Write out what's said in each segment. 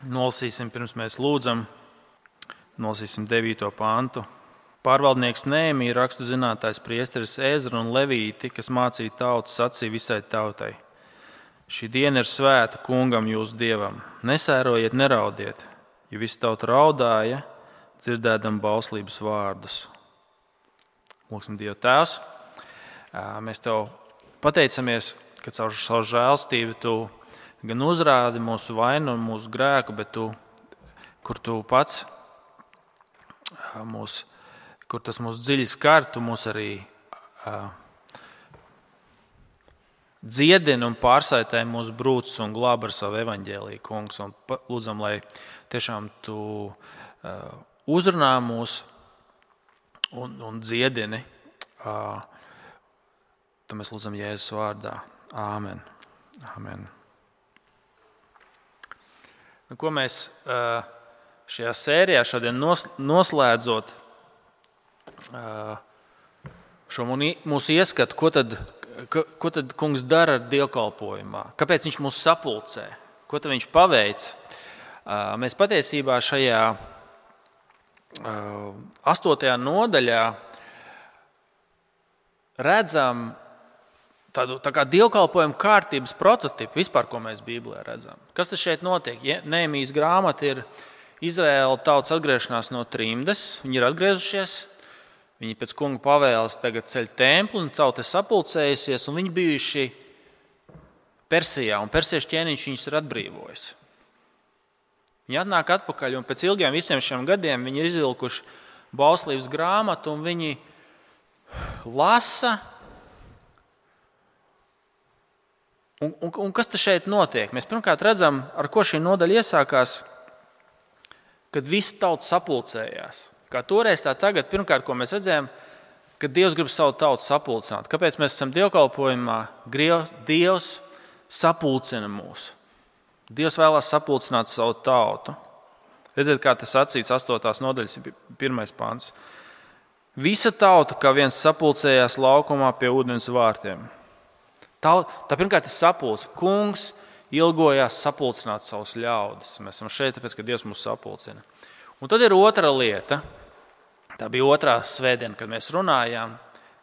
Nolasīsim, pirms mēs lūdzam, nolasīsim 9. pantu. Pārvaldnieks Nehēmija, rakstu zinātājs priesteris Ezra un Levīti, kas mācīja tautu, sacīja visai tautai: šī diena ir svēta kungam jūsu dievam. Nesērojiet, neraudiet, jo visa tauta raudāja, dzirdēdam bauslības vārdus. Lūksim Dievu Tēvs, mēs Tev pateicamies, ka caur savu žēlstību Tu gan uzrādi mūsu vainu un mūsu grēku, bet kur Tu pats, kur tas mūs dziļi skar, Tu mūs arī dziedini un pārsaitē mūsu brūces un glābi ar savu evaņģēliju, kungs. Un lūdzam, lai tiešām Tu uzrunā mūs un dziedini. Tad mēs lūdzam Jēzus vārdā. Āmen. Āmen. Ko mēs šajā sērijā šodien noslēdzot šo mūsu ieskatu, ko tad kungs dara dievkalpojumā? Kāpēc viņš mūs sapulcē? Ko tad viņš paveic? Mēs patiesībā šajā 8. nodaļā redzam tādu tā kā dievkalpojumu kārtības prototipu vispār, ko mēs Bībelē redzam. Kas tas šeit notiek? Nehēmijas grāmata ir Izraēla tautas atgriešanās no trimdes. Viņi ir atgriezušies, viņi pēc kunga pavēles tagad ceļ templi, un tauta ir sapulcējusies, un viņi bijuši Persijā, un persiešu ķēniņš viņus ir atbrīvojis. Viņi atnāk atpakaļ, un pēc ilgiem visiem šiem gadiem viņi ir izvilkuši bauslības grāmatu, un viņi lasa. Un kas te šeit notiek? Mēs pirmkārt redzam, ar ko šī nodaļa iesākās, kad visi tauta sapulcējās. Kā toreiz, tā tagad, pirmkārt, ko mēs redzējām, kad Dievs grib savu tautu sapulcināt. Kāpēc mēs esam dievkalpojumā? Dievs sapulcina mūs. Dievs vēlās sapulcināt savu tautu. Redziet, kā tas sacīts 8. nodaļas 1. pants. Visa tauta kā viens sapulcējās laukumā pie ūdens vārtiem. Tā pirmkārt ir sapulce. Kungs ilgojās sapulcināt savus ļaudis. Mēs esam šeit, tāpēc, ka Dievs mūs sapulcina. Un tad ir otra lieta. Tā bija otrā svētdiena, kad mēs runājām.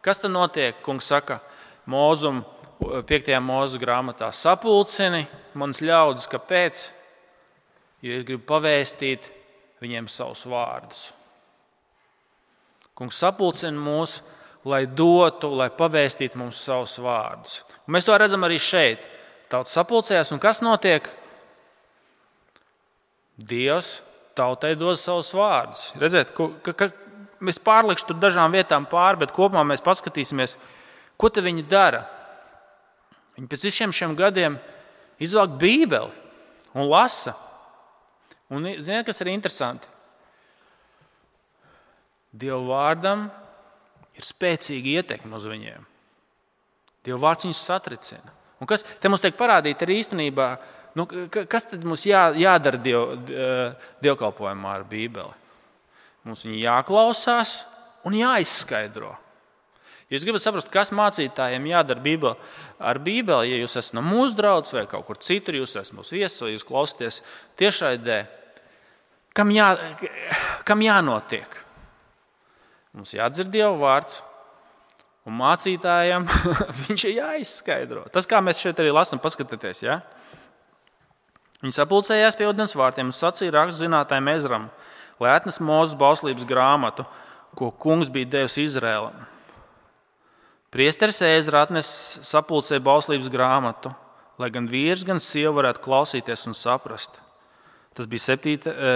Kas tad notiek? Kungs saka Mūzum 5. mūzu grāmatā: sapulcini manas ļaudis. Kāpēc? Jo es gribu pavēstīt viņiem savus vārdus. Kungs sapulcina mūs, lai dotu, lai pavēstītu mums savus vārdus. Un mēs to redzam arī šeit. Tauta sapulcējās, un kas notiek? Dievs tautai dod savus vārdus. Redziet, mēs pārlikšu tur dažām vietām pāri, bet kopumā mēs paskatīsimies, ko te viņi dara. Viņi pēc visiem šiem gadiem izvelk Bībeli un lasa. Un ziniet, kas ir interesanti? Dieva vārdam ir spēcīga ietekme uz viņiem. Dieva vārds viņus satricina. Un kas te mums tiek parādīt arī īstenībā, kas tad mums jādara dievkalpojumā ar Bībeli? Mums viņi jāklausās un jāizskaidro. Ja jūs gribat saprast, kas mācītājiem jādara ar Bībeli, ja jūs esat no mūsu draudzes vai kaut kur citur, jūs esat mūsu viesis vai jūs klausāties tiešraidē, kam jānotiek? Mums jādzird Dieva vārds, un mācītājiem viņš ir jāizskaidro. Tas, kā mēs šeit arī lasām, paskatieties. Ja? Viņi sapulcējās pie ūdens vārtiem un sacīja rakstu zinātājiem Ezram, lai atnes Mūzes bauslības grāmatu, ko kungs bija devis Izrēlam. Priesteris Ezra atnes sapulcēja bauslības grāmatu, lai gan vīrs, gan sieva varētu klausīties un saprast. Tas bija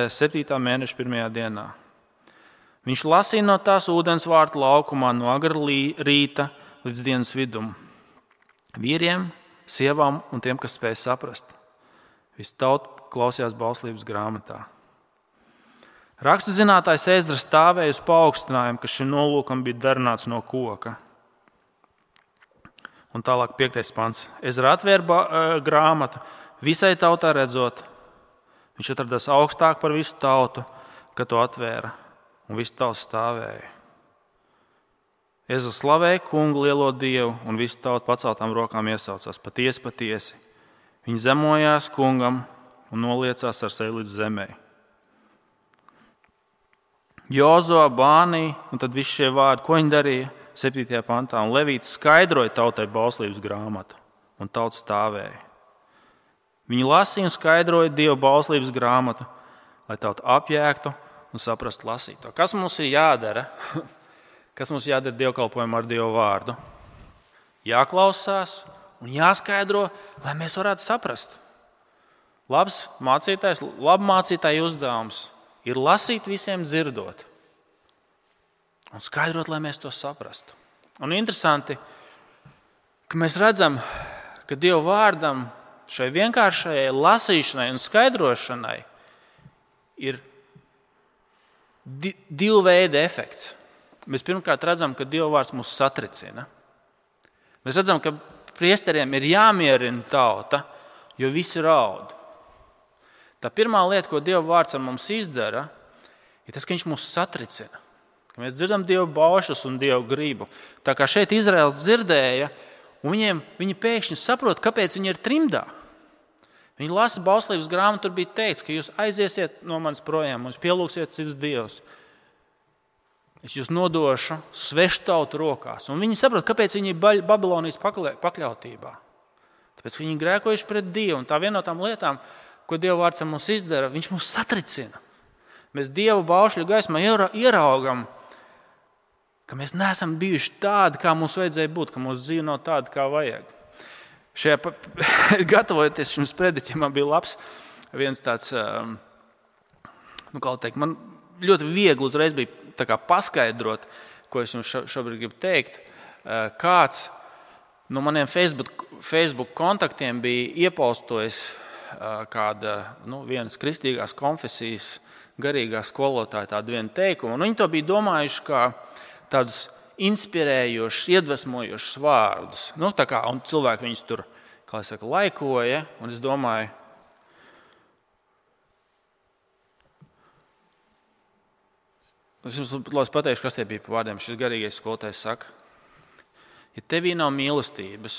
7. mēneša 1. dienā. Viņš lasīja no tās ūdens vārtu laukumā no agra rīta līdz dienas vidum. Vīriem, sievām un tiem, kas spēja saprast. Visi tauta klausījās bauslības grāmatā. Rakstu zinātājs Ezra stāvēja uz paaugstinājumu, kas šim nolūkam bija darināts no koka. Un tālāk 5. pants. Ezra atvēra grāmatu, visai tautai redzot. Viņš atradās augstāk par visu tautu, kad to atvēra. Un viss tauta stāvēja. Ezra slavēja kungu lielo Dievu, un visi tauta paceltām rokām iesaucās: patiesi, patiesi. Viņi zemojās kungam un noliecās ar seju līdz zemē. Jozo, Bānī, un tad visi šie vārdi, ko viņi darīja 7. pantā, un Levīts skaidroja tautai bauslības grāmatu, un tauta stāvēja. Viņi lasīja un skaidroja Dieva bauslības grāmatu, lai tauta apjēgtu un saprastu lasīto. Kas mums ir jādara? Kas mums jādara dievkalpojumā ar Dieva vārdu? Jāklausās un jāskaidro, lai mēs varētu saprast. Labs mācītāja uzdevums ir lasīt visiem dzirdot un skaidrot, lai mēs to saprastu. Un interesanti, ka mēs redzam, ka Dieva vārdam šai vienkāršajai lasīšanai un skaidrošanai ir divu veidu efekts. Mēs pirmkārt redzam, ka Dieva vārds mūs satricina. Mēs redzam, ka priesteriem ir jāmierina tauta, jo visi raud. Tā pirmā lieta, ko Dieva vārds ar mums izdara, ir tas, ka viņš mūs satricina. Ka mēs dzirdam Dieva baušas un Dieva gribu. Tā kā šeit Izraels dzirdēja, un viņi pēkšņi saprot, kāpēc viņi ir trimdā. Viņi lasa bauslības grāmatu, tur bija teikts, ka jūs aiziesiet no manis projām, jūs pielūgsiet citus dievus. Es jūs nodošu svešu tautu rokās. Un viņi saprot, kāpēc viņi ir Babilonijas pakļautībā. Tāpēc viņi grēkojuši pret Dievu. Un tā viena no tām lietām, ko Dieva vārds mums izdara, viņš mūs satricina. Mēs Dieva baušļu gaismā ieraugam, ka mēs neesam bijuši tādi, kā mums vajadzēja būt, ka mūsu dzīve nav tāda, kā vajag. Gatavojoties šim sprediķim, man bija labs viens tāds, man ļoti viegli uzreiz bija tā kā paskaidrot, ko es jums šobrīd gribu teikt. Kāds no maniem Facebook kontaktiem bija iepaustojis kāda vienas kristīgās konfesijas garīgā skolotāja tādu vienu teikumu. Un viņi to bija domājuši kā tādus inspirējošus, iedvesmojošus vārdus. Tā kā, un cilvēki viņus tur, kā es saku, laikoja, un es domāju, es jums pateikšu, kas tie bija par vārdiem. Šis garīgais skolotājs saka, ja tevī nav mīlestības,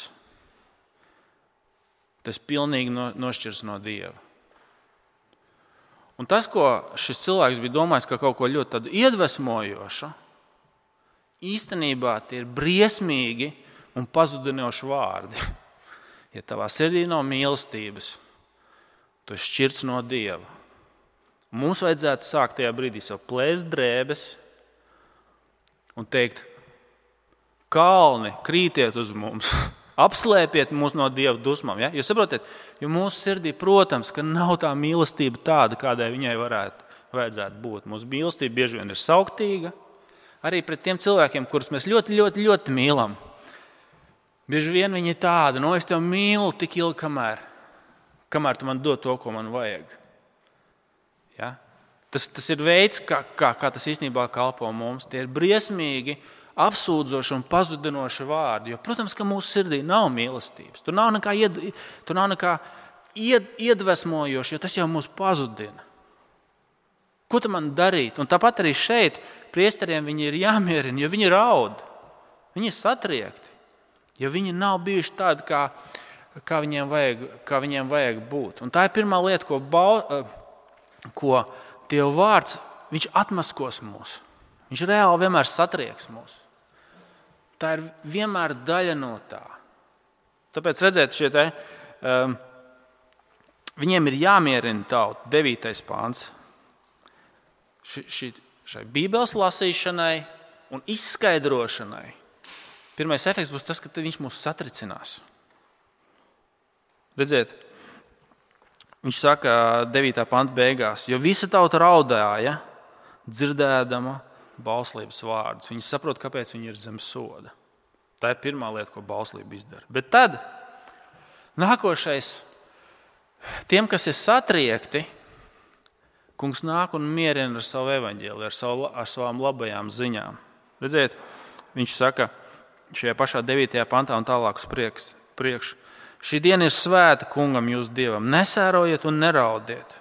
tas pilnīgi nošķirs no Dieva. Un tas, ko šis cilvēks bija domājis, kā kaut ko ļoti tādu iedvesmojošu, īstenībā tie ir briesmīgi un pazudinoši vārdi. Ja tavā sirdī nav mīlestības, tu esi šķirts no Dieva. Mums vajadzētu sākt tajā brīdī sev plēst drēbes un teikt, kalni, krītiet uz mums, apslēpiet mūs no Dieva dusmām. Ja? Jūs saprotat, jo mūsu sirdī, protams, ka nav tā mīlestība tāda, kādai viņai vajadzētu būt. Mūsu mīlestība bieži vien ir sauktīga, arī pret tiem cilvēkiem, kurus mēs ļoti, ļoti, ļoti mīlam. Bieži vien viņi ir tādi, es tev mīlu tik ilgi, kamēr tu man dod to, ko man vajag. Ja? Tas ir veids, kā tas īstenībā kalpo mums. Tie ir briesmīgi, apsūdzoši un pazudinoši vārdi. Jo, protams, ka mūsu sirdī nav mīlestības. Tur nav nekā iedvesmojoši, jo tas jau mūs pazudina. Ko tu man darīt? Un tāpat arī šeit priesteriem viņi ir jāmierina, jo viņi raud. Viņi ir satriekti, jo viņi nav bijuši tādi, kā viņiem vajag būt. Un tā ir pirmā lieta, ko Dieva vārds, viņš atmaskos mūs. Viņš reāli vienmēr satrieks mūs. Tā ir vienmēr daļa no tā. Tāpēc redzēt, viņiem ir jāmierina tauta, 9. pāns. Šai Bībeles lasīšanai un izskaidrošanai. Pirmais efekts būs tas, ka viņš mūs satricinās. Redziet, viņš saka 9. panta beigās, jo visa tauta raudāja, dzirdēdama bauslības vārdus. Viņi saprot, kāpēc viņi ir zem soda. Tā ir pirmā lieta, ko bauslība izdara. Bet tad nākošais, tiem, kas ir satriekti, Kungs nāk un mierina ar savu evaņģēliju, ar savām labajām ziņām. Redziet, viņš saka šajā pašā 9. pantā un tālāk uz priekšu. Šī diena ir svēta Kungam, jūsu Dievam. Nesērojiet un neraudiet.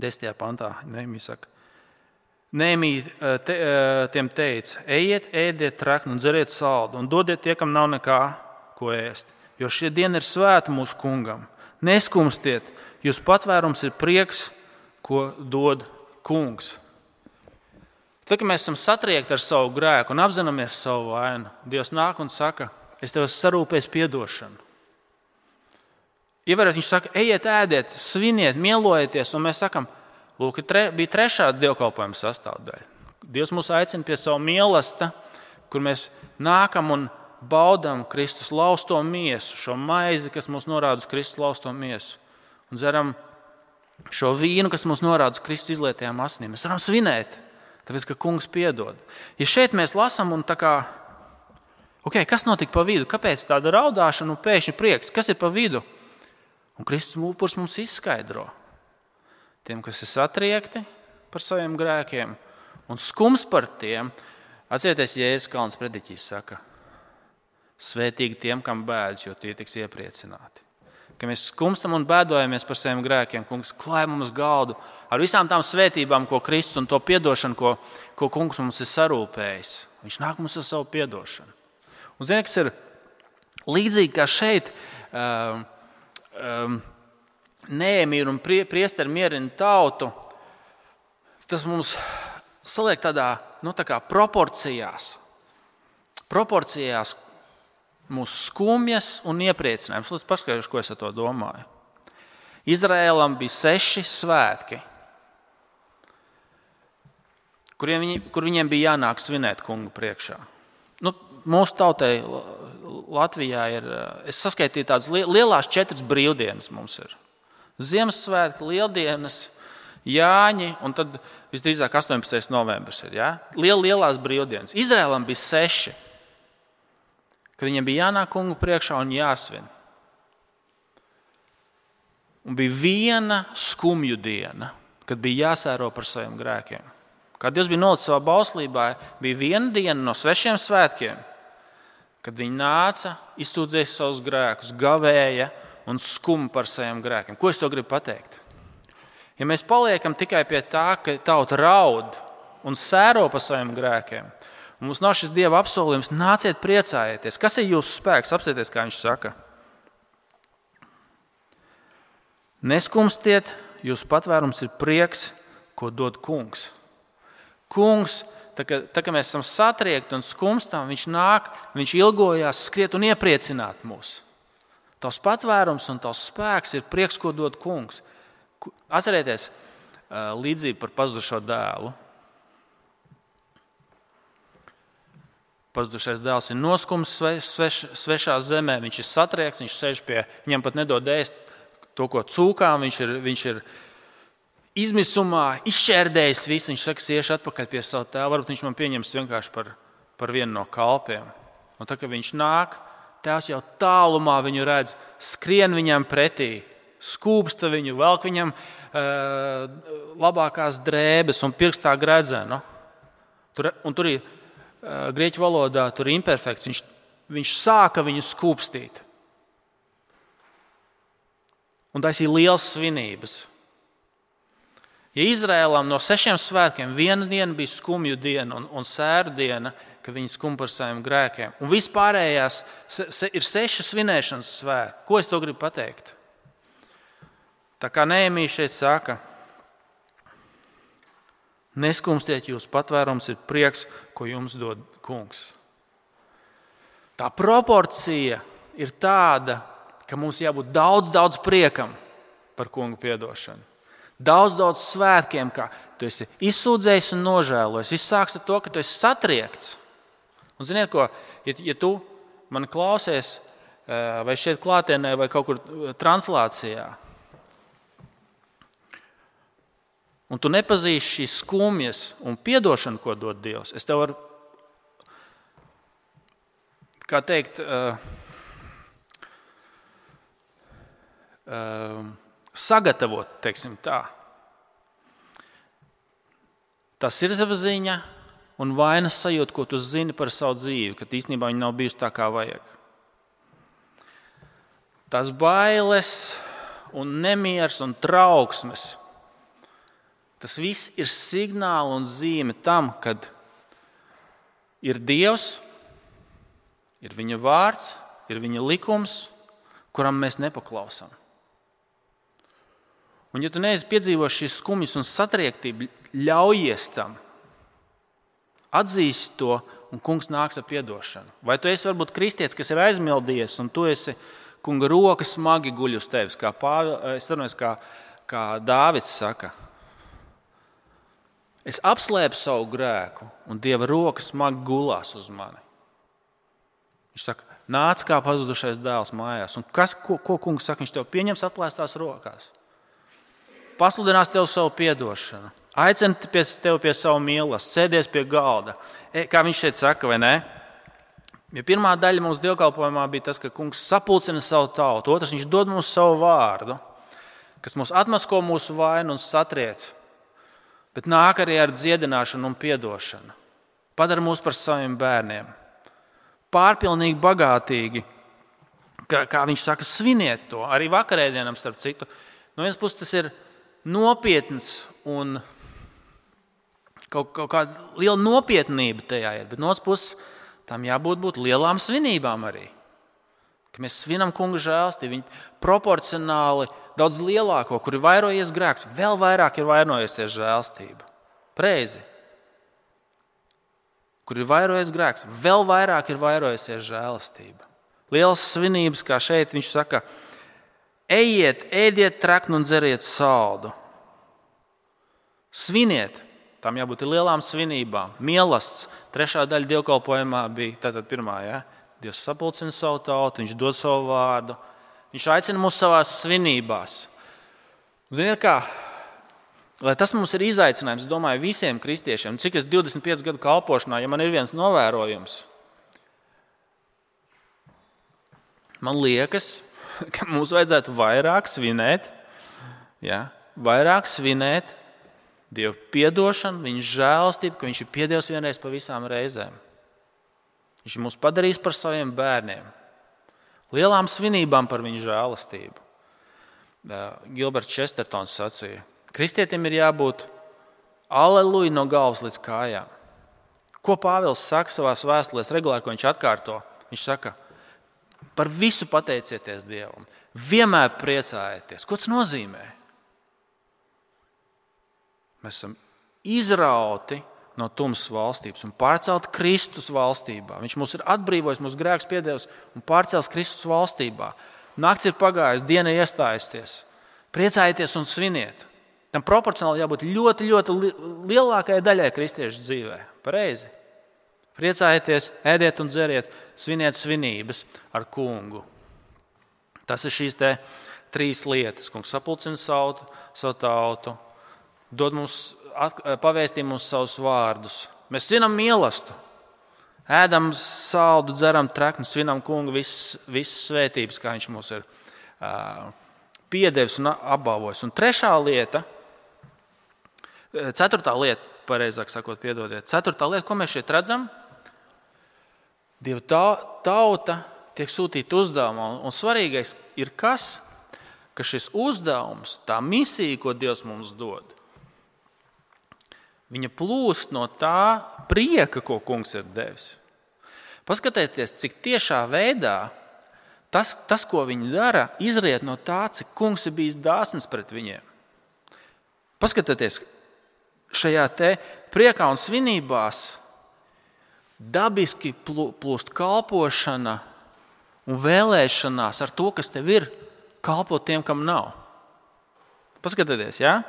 10. pantā Nehemija saka. Nehemija tiem teica, ejiet, ēdiet trekni un dzeriet saldu un dodiet tie, kam nav nekā, ko ēst. Jo šī diena ir svēta mūsu Kungam. Neskumstiet, Jūsu patvērums ir prieks, ko dod Kungs. Tad, kad mēs esam satriekti ar savu grēku un apzināmies savu vainu, Dievs nāk un saka, es tev esmu sarūpējis piedošanu. Ievērot, viņš saka, ejiet, ēdiet, sviniet, mielojieties, un mēs sakam, lūk, bija trešā dievkalpojuma sastāvdaļa. Dievs mūs aicina pie savu mīlestību, kur mēs nākam un baudām Kristus lausto miesu, šo maizi, kas mūs norāda uz Kristus lausto miesu, un dzeram šo vīnu, kas mūs norāda uz Kristus izlietajām asinīm. Mēs varam svinēt, tāpēc, ka Kungs piedod. Ja šeit mēs lasām un tā kā, kas notika pa vidu? Kāpēc tāda raudāšana un pēkšņi prieks? Kas ir pa vidu? Un Kristus upurs mums izskaidro. Tiem, kas ir satriekti par saviem grēkiem un skums par tiem, atcerieties, Jēzus Kalns prediķis saka, svētīgi tiem, kam bēdas, jo tie tiks iepriecināti. Ka mēs skumstam un bēdojamies par saviem grēkiem, Kungs klāj mums galdu ar visām tām svētībām, ko Kristus un to piedošanu, ko Kungs mums ir sarūpējis. Viņš nāk mums ar savu piedošanu. Un ziniet, kas ir līdzīgi kā šeit, Nehēmija un priesteri mierina tautu, tas mums saliek tādā, tā kā proporcijās mūsu skumjas un iepriecinājums. Es paskaidrošu, ko es ar to domāju. Izraēlam bija 6 svētki, kur viņiem bija jānāk svinēt Kungu priekšā. Mūsu tautai Latvijā ir, es saskaitīju tādas lielās 4 brīvdienas mums ir. Ziemassvētki, Lieldienas, Jāņi un tad visdrīzāk 18. novembris ir. Ja? Lielās brīvdienas. Izraēlam bija 6, kad viņiem bija jānāk Kungu priekšā un jāsvin. Un bija viena skumju diena, kad bija jāsēro par saviem grēkiem. Kad Dievs bija nolicis savā bauslībā, bija viena diena no 6 svētkiem, kad viņi nāca, izsūdzēja savus grēkus, gavēja un skuma par saviem grēkiem. Ko es to gribu pateikt? Ja mēs paliekam tikai pie tā, ka tauta raud un sēro par saviem grēkiem, un mums nav šis Dieva apsolījums, nāciet priecājieties. Kas ir jūsu spēks? Apsieties, kā viņš saka. Neskumstiet, jūsu patvērums ir prieks, ko dod Kungs. Kungs, tā kā mēs esam satriekti un skumstam, viņš nāk, viņš ilgojās skriet un iepriecināt mūs. Tavs patvērums un tavs spēks ir prieks, ko dod Kungs. Atcerieties līdzību par pazudušo dēlu. Pazudušais dēls ir noskums svešā zemē, viņš ir satriekts, viņš sēž pie, viņam pat nedod ēst to, ko cūkām, viņš ir izmisumā, izšķērdējis visu, viņš saka, es iešu atpakaļ pie savu tēvu, varbūt viņš man pieņems vienkārši par vienu no kalpiem. Un tā, kad viņš nāk, tēvs jau tālumā viņu redz, skrien viņam pretī, skūpsta viņu, velk viņam labākās drēbes un pirkstā gredzenu. Un tur ir grieķu valodā, tur ir imperfekts, viņš sāka viņu skūpstīt. Un tas ir liels svinības. Ja Izraēlam no 6 svētkiem viena diena bija skumju diena un sēru diena, kad viņi skum par saviem grēkiem, un vispārējās ir 6 svinēšanas svētki. Ko es to gribu pateikt? Tā kā Nehēmija šeit saka, neskumstiet, jūsu patvērums ir prieks, ko jums dod Kungs. Tā proporcija ir tāda, ka mums jābūt daudz priekam par Kungu piedošanu. Daudz svētkiem, kā tu esi izsūdzējis un nožēlojis. Viss sāks ar to, ka tu esi satriekts. Un ziniet ko, ja tu mani klausies vai šeit klātienē vai kaut kur translācijā, un tu nepazīsti šīs skumjas un piedošanu, ko dod Dievs, es tev varu, kā teikt, sagatavot, teiksim tā. Tā sirdsapziņa un vainas sajūta, ko tu zini par savu dzīvi, ka īstenībā viņa nav bijusi tā, kā vajag. Tās bailes un nemieris un trauksmes, tas viss ir signāli un zīme tam, kad ir Dievs, ir viņa vārds, ir viņa likums, kuram mēs nepaklausām. Un ja tu neesi piedzīvos šīs skumjas un satriektību, ļaujies tam. Atzīsti to, un kungs nāks ar piedošanu. Vai tu esi varbūt kristietis, kas ir aizmildījies, un tu esi kunga roka smagi guļ uz tevis, kā Dāvids saka. Es apslēpu savu grēku, un Dieva roka smagi gulās uz mani. Viņš saka, nāc kā pazudušais dēls mājās. Un ko kungs saka? Viņš tev pieņems atplēstās rokās. Pasludinās tev savu piedošanu. Aicina tevi pie savu mīlestības, sēdies pie galda. Kā viņš šeit saka, vai ne? Ja pirmā daļa mūsu dievkalpojumā bija tas, ka kungs sapulcina savu tautu. Otrs, viņš dod mums savu vārdu, kas mūs atmasko mūsu vainu un satriec. Bet nāk arī ar dziedināšanu un piedošanu. Padara mūs par saviem bērniem. Pārpilnīgi bagātīgi. Kā viņš saka, sviniet to. Arī vakarēdienam starp citu. No vienas puses tas ir nopietns un kaut kāda liela nopietnība tajā ir. Bet no otras puses tam jābūt lielām svinībām arī. Ka mēs svinam kunga žēlstību. Viņi proporcionāli daudz lielāko, kur ir vairojies grēks, vēl vairāk ir vairojusies žēlstība. Preizi. Kur ir vairojies grēks, vēl vairāk ir vairojusies žēlastība. Lielas svinības, kā šeit viņš saka, ejiet, ēdiet traknu un dzeriet saldu. Sviniet, tam jābūt lielām svinībām. Mielasts, 3. daļa dievkalpojumā bija, tātad 1. Ja? Dievs sapulcina savu tautu, viņš dod savu vārdu. Viņš aicina mūs savās svinībās. Ziniet kā? Lai tas mums ir izaicinājums, domāju, visiem kristiešiem. Cik es 25 gadu kalpošanā, ja man ir viens novērojums, man liekas, ka mums vajadzētu vairāk svinēt, vairāk svinēt Dievu piedošanu, viņa žēlastību, ka viņš ir piedevis vienreiz pa visām reizēm. Viņš mūs padarīs par saviem bērniem. Lielām svinībām par viņu žēlastību. Gilberts Čestertons sacīja, kristietim ir jābūt aleluja no galvas līdz kājām. Ko Pāvils saka savās vēstulēs regulāri, ko viņš atkārto? Viņš saka, par visu pateicieties Dievam, vienmēr priecājieties. Ko tas nozīmē? Mēs esam izrauti no tumsas valstības un pārcelti Kristus valstībā. Viņš mūs ir atbrīvojis, mūsu grēkus piedevis un pārcēlis Kristus valstībā. Nakts ir pagājis, diena ir iestājusies. Priecājieties un sviniet. Tam proporcionāli jābūt ļoti, ļoti lielākajai daļai kristiešu dzīvē. Pareizi. Priecājieties, ēdiet un dzeriet, sviniet svinības ar kungu. Tas ir šīs 3 lietas. Kungs sapulcina savu tautu, dod mums, pavēstīja mums savus vārdus. Mēs svinam mīlestību, ēdam saldu, dzeram trakni, svinam kungu visas svētības, kā viņš mums ir piedevis un apbalvojis. Un 4. lieta, pareizāk sakot, piedodiet, 4. lieta, ko mēs šeit redzam, Dieva tauta tiek sūtīta uzdevumā. Un svarīgais ir kas? Ka šis uzdevums, tā misija, ko Dievs mums dod, viņa plūst no tā prieka, ko kungs ir devis. Paskatieties, cik tiešā veidā tas, ko viņi dara, izriet no tā, cik kungs ir bijis dāsns pret viņiem. Paskatieties, šajā priekā un svinībās dabiski plūst kalpošana un vēlēšanās ar to, kas tev ir, kalpot tiem, kam nav. Paskatieties, jā?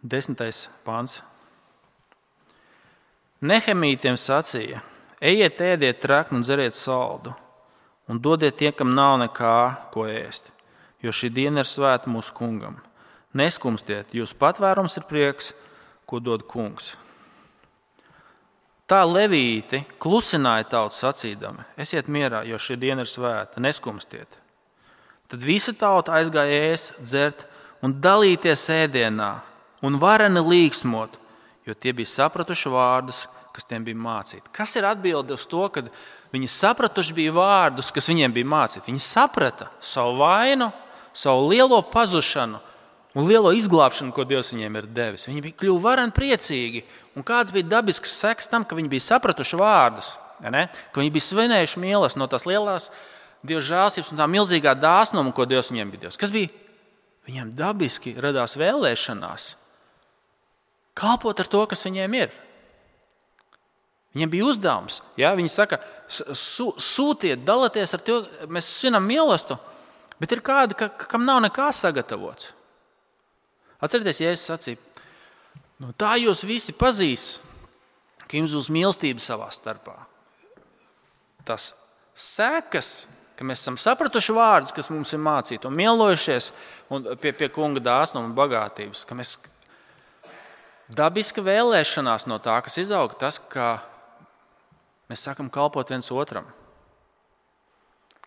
10. pāns. Nehemītiem sacīja, ejiet, ēdiet trakni un dzeriet saldu, un dodiet tiem, kam nav nekā, ko ēst, jo šī diena ir svēta mūsu kungam. Neskumstiet, jūsu patvērums ir prieks, ko dod kungs. Tā levīti klusināja tautu sacīdami, esiet mierā, jo šī diena ir svēta, neskumstiet. Tad visa tauta aizgāja ēst, dzert un dalīties ēdienā un vareni līksmot, jo tie bija sapratuši vārdus, kas tiem bija mācīti. Kas ir atbilde uz to, kad viņi sapratuši bija vārdus, kas viņiem bija mācīti? Viņi saprata savu vainu, savu lielo pazušanu un lielo izglābšanu, ko Dievs viņiem ir devis. Viņi bija kļuvi vareni priecīgi. Un kāds bija dabisks seks tam, ka viņi bija sapratuši vārdus? ka viņi bija svinējuši mīlestību no tās lielās Dieva žēlstības un tā milzīgā dāsnuma, ko Dievs viņiem bija devis. Kas bija? Viņiem dabiski radās vēlēšanās kalpot ar to, kas viņiem ir. Viņiem bija uzdevums. Ja? Viņi saka, sūtiet, dalieties ar to, mēs svinam mīlestību, bet ir kādi, kam nav nekā sagatavots. Atcerieties, Jēzus sacīja, tā jūs visi pazīs, ka jums būs mīlestība savā starpā. Tas sekas, ka mēs esam sapratuši vārdus, kas mums ir mācīti un mīlojušies un pie kunga dāsnuma un bagātības, ka mēs dabiska vēlēšanās no tā, kas izauga, tas, ka mēs sākam kalpot viens otram.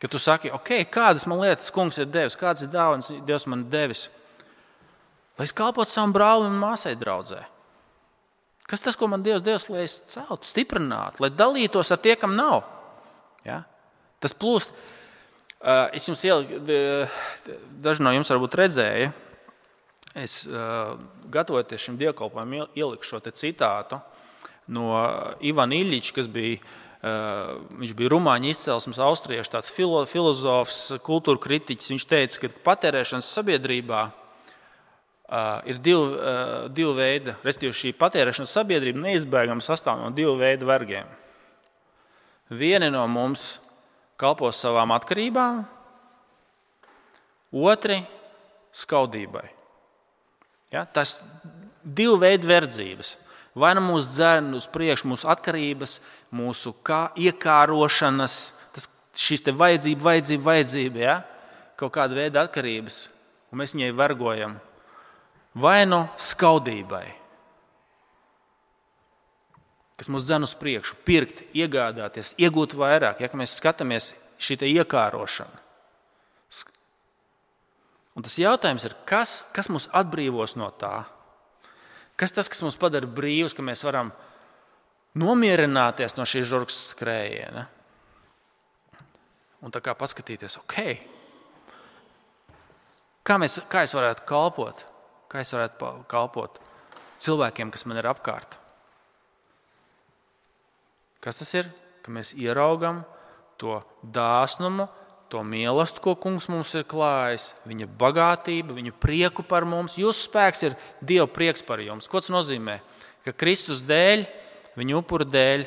Ka tu saki, kādas man lietas kungs ir devis, kādas ir dāvanas Dievs man devis, lai es kalpotu savam brālim un māsai draudzē. Kas tas, ko man Dievs devis, lai es celtu, stiprinātu, lai dalītos ar tie, kam nav? Ja? Tas plūst. Es jums daži no jums varbūt redzēja, es gatavoties šim dievkalpojumam ieliku šo te citātu no Ivana Iļiča, kas bija, viņš bija rumāņu izcelsmes austriešu, tāds filozofs, kultūra kritiķis. Viņš teica, ka patērēšanas sabiedrībā ir divi veidi, respektīvi šī patērēšanas sabiedrība neizbēgami sastāv no divu veidu vergiem. Vieni no mums kalpos savām atkarībām, otri skaudībai. Ja? Tas divu veidu verdzības. Vai nu mūs dzen uz priekšu mūsu atkarības, mūsu iekārošanas, šīs te vajadzība, ja? Kaut kāda veida atkarības, un mēs viņai vergojam. Vai nu skaudībai, kas mūs dzen uz priekšu, pirkt, iegādāties, iegūt vairāk, ja mēs skatāmies šī te iekārošana. Un tas jautājums ir, kas mūs atbrīvos no tā? Kas tas, kas mūs padara brīvus, ka mēs varam nomierināties no šī žurkas skrējiena? Un tā kā paskatīties, kā es varētu kalpot? Kā es varētu kalpot cilvēkiem, kas man ir apkārt? Kas tas ir? Ka mēs ieraugam to dāsnumu, to mīlestību, ko kungs mums ir klājis, viņa bagātību, viņu prieku par mums. Jūsu spēks ir Dieva prieks par jums. Ko tas nozīmē? Ka Kristus dēļ, viņa upura dēļ,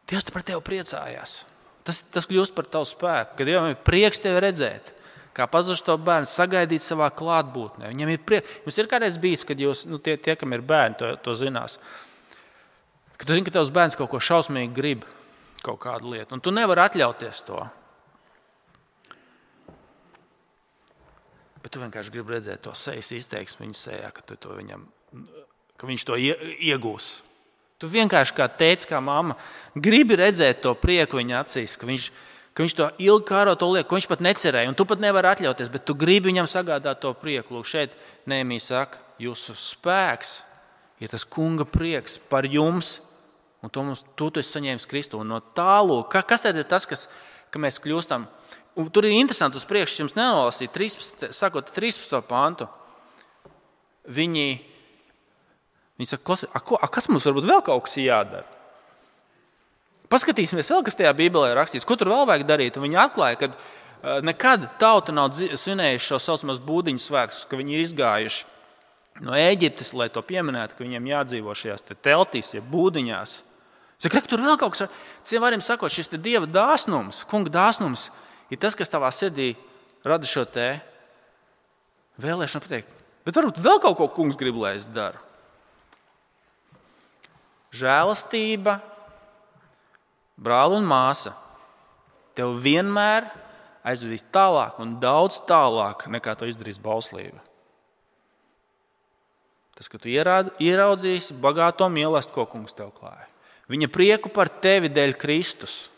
Dievs par tevi priecājās. Tas kļūst par tavu spēku, ka Dievam ir prieks tevi redzēt. Kā pazudušo to bērnu sagaidīt savā klātbūtnē. Viņam ir prieks. Jums ir kādreiz bijis, kad jūs, tie, kam ir bērni, to zinās. Kad tu zini, ka tavs bērns kaut ko šausmīgi grib, kaut kādu lietu, un tu nevari atļauties to. Bet tu vienkārši gribi redzēt to sejas izteiksmi viņa sejā, ka viņš to iegūs. Tu vienkārši kā tētis, kā mamma, gribi redzēt to prieku viņa acīs, ka viņš to ilgi kāro to lieku, ko viņš pat necerēja, un tu pat nevari atļauties, bet tu gribi viņam sagādāt to prieku. Lūk, šeit Nehemija saka, jūsu spēks ir tas kunga prieks par jums, un tu esi saņēmis Kristu. Un no tālu, kas tad ir tas, ka mēs kļūstam? Un tur ir interesanti uz priekšu, jums nenolasīja, sakot 13. pantu. Viņi saka, kas mums varbūt vēl kaut kas jādara? Paskatīsimies vēl, kas tajā Bībelē ir rakstīts, ko tur vēl vajag darīt. Un viņi atklāja, ka nekad tauta nav svinējuši šo saucamās būdiņu svētkus, ka viņi ir izgājuši no Ēģiptes, lai to pieminētu, ka viņiem jādzīvo šajās teltīs, ja būdiņās. Saka, tur vēl kaut kas, citiem vārdiem sakot, šis te Dieva dāsnums, kunga dāsnums ir tas, kas tavā sirdī rada šo te vēlēšanu pateikt. Bet varbūt vēl kaut ko kungs grib, lai es daru. Žēlastība, brāli un māsa, tev vienmēr aizvedīs tālāk un daudz tālāk, nekā to izdarīs bauslība. Tas, ka tu ieraudzīsi bagāto mīlestību, ko kungs tev klāja. Viņa prieku par tevi dēļ Kristus.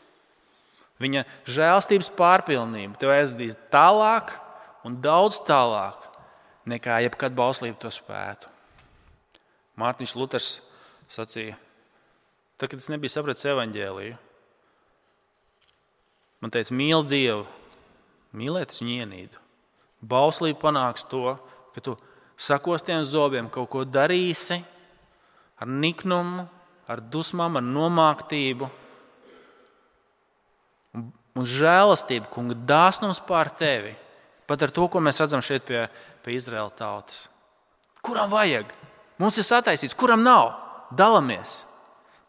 Viņa žēlstības pārpilnība tev aizvedīs tālāk un daudz tālāk, nekā jebkad bauslība to spētu. Mārtiņš Luters sacīja, tad, kad es nebiju sapratis evaņģēliju, man teica, mīli Dievu, mīlēt es viņu ienīdu. Bauslība panāks to, ka tu sakostiem zobiem kaut ko darīsi ar niknumu, ar dusmām, ar nomāktību, un žēlastība, kunga dāsnums pār tevi. Pat ar to, ko mēs redzam šeit pie Izraēla tautas. Kuram vajag? Mums ir sataisīts, kuram nav? Dalamies.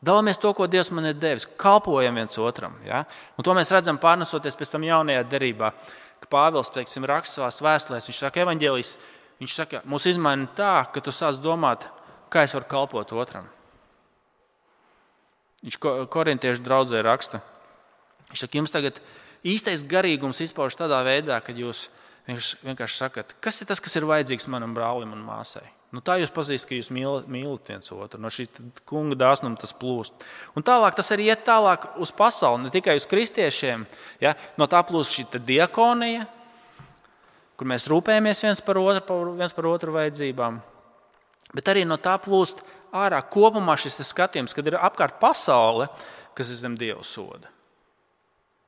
Dalamies to, ko Dievs man ir devis. Kalpojam viens otram. Ja? Un to mēs redzam pārnesoties pēc tam jaunajā derībā. Ka Pāvils, teiksim, raksta savās vēstulēs, viņš saka, evaņģēlijs, viņš saka, mūs izmaina tā, ka tu sāc domāt, kā es varu kalpot otram. Viņš korintiešu draudzē raksta. Viņš saka, jums tagad īstais garīgums izpauž tādā veidā, kad jūs vienkārši sakat, kas ir tas, kas ir vajadzīgs manam brālim un māsai. Tā jūs pazīstat, ka jūs mīlat viens otru. No šīs kunga dāsnuma tas plūst. Un tālāk tas arī iet tālāk uz pasauli, ne tikai uz kristiešiem. Ja? No tā plūst šī diakonija, kur mēs rūpējamies viens par otru vajadzībām. Bet arī no tā plūst ārā kopumā šis skatījums, kad ir apkārt pasaule, kas ir zem Dieva soda,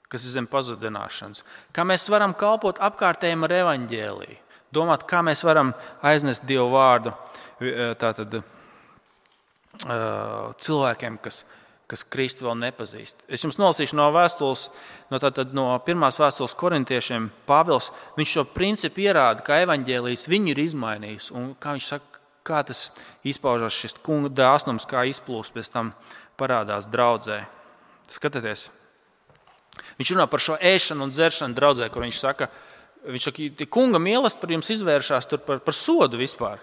kas ir zem pazudināšanas. Kā mēs varam kalpot apkārtējiem ar evaņģēliju, domāt, kā mēs varam aiznest Dievu vārdu cilvēkiem, kas Kristu vēl nepazīst. Es jums nolasīšu no vēstules, no pirmās vēstules korintiešiem. Pāvils, viņš šo principu ierāda, kā evaņģēlijs viņu ir izmainījis. Un kā viņš saka, kā tas izpaužas šis kunga dāsnums, kā izplūst, pēc tam parādās draudzē. Skatieties. Viņš runā par šo ēšanu un dzeršanu draudzē, kur viņš saka, kunga mīlestība par jums izvēršās par sodu vispār.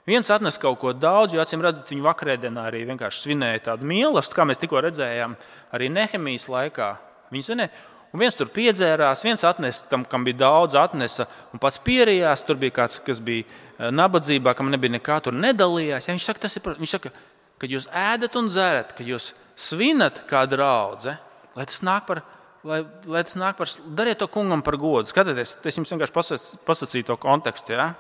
Viens atnes kaut ko daudz, jo acīm redzot, viņi vakarēdienā arī vienkārši svinēja tādu mīlestību, kā mēs tikko redzējām, arī Nehemijas laikā. Viņi svinēja, un viens tur piedzērās, viens atnesa tam, kam bija daudz, atnesa un pats pierījās. Tur bija kāds, kas bija nabadzībā, kam nebija nekā, tur nedalījās. Ja, viņš saka, kad jūs ēdat un dzerat, kad jūs svinat kā draudze, lai tas nāk par, dariet to kungam par godu. Skatieties, es jums vienkārši pasacīju to kontekstu. Ja?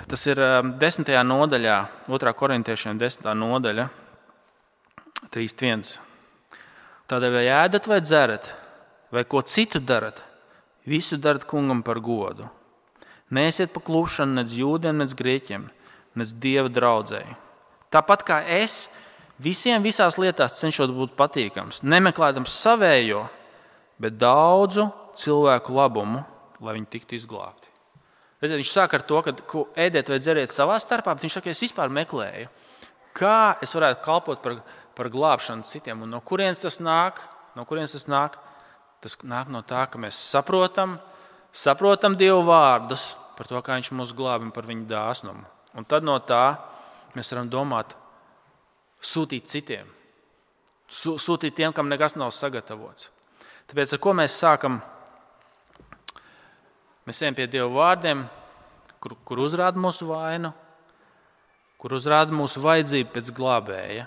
Tas ir 10. nodaļā, 2. korintiešiem 10. nodaļa, 3.1. Tādēļ vai ēdat vai dzerat, vai ko citu darat, visu darat kungam par godu. Neesiet pa klušanu nec jūdiem, nec grieķiem, nec Dieva draudzēji. Tāpat kā es visiem visās lietās cenšos būt patīkams, nemeklējams savējo, bet daudzu cilvēku labumu, lai viņi tiktu izglābti. Redziet, viņš sāk ar to, ka ēdiet vai dzeriet savā starpā, bet viņš saka, es vispār meklēju, kā es varētu kalpot par glābšanu citiem. Un no kurienes tas nāk? Tas nāk no tā, ka mēs saprotam Dievu vārdus par to, kā viņš mūs glābi un par viņu dāsnumu. Un tad no tā mēs varam domāt, sūtīt citiem. Sūtīt tiem, kam nekas nav sagatavots. Tāpēc, ar ko mēs sākam? Mēs ejam pie Dieva vārdiem, kur uzrāda mūsu vainu, kur uzrāda mūsu vajadzību pēc glābēja.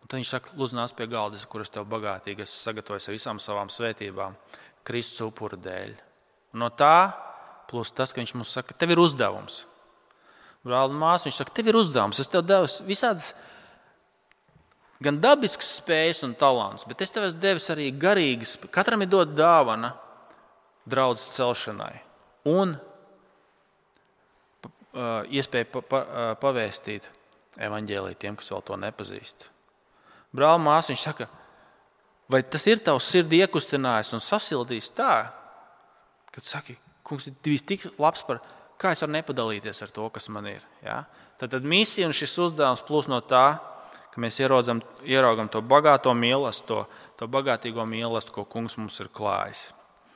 Un tad viņš saka, lūdzu, nāc pie galda, kuras tev bagātīgi esmu sagatavojis ar visām savām svētībām, Kristus upura dēļ. Un no tā plus tas, ka viņš mums saka, tev ir uzdevums. Brāl un māsa, viņš saka, tev ir uzdevums. Es tev devu visādas gan dabiskas spējas un talants, bet es tev esmu devis arī garīgas. Katram ir dot dāvana draudzes celšanai un iespēja pavēstīt evaņģēliju tiem, kas vēl to nepazīst. Brāl, māsa, viņš saka, vai tas ir tavs sirdi iekustinājis un sasildījis tā, kad saki, kungs ir tik labs par, kā es varu nepadalīties ar to, kas man ir. Ja? Tad misija un šis uzdevums plūs no tā, ka mēs ieraugam to bagāto mīlestību, to bagātīgo mīlestību, ko kungs mums ir klājis.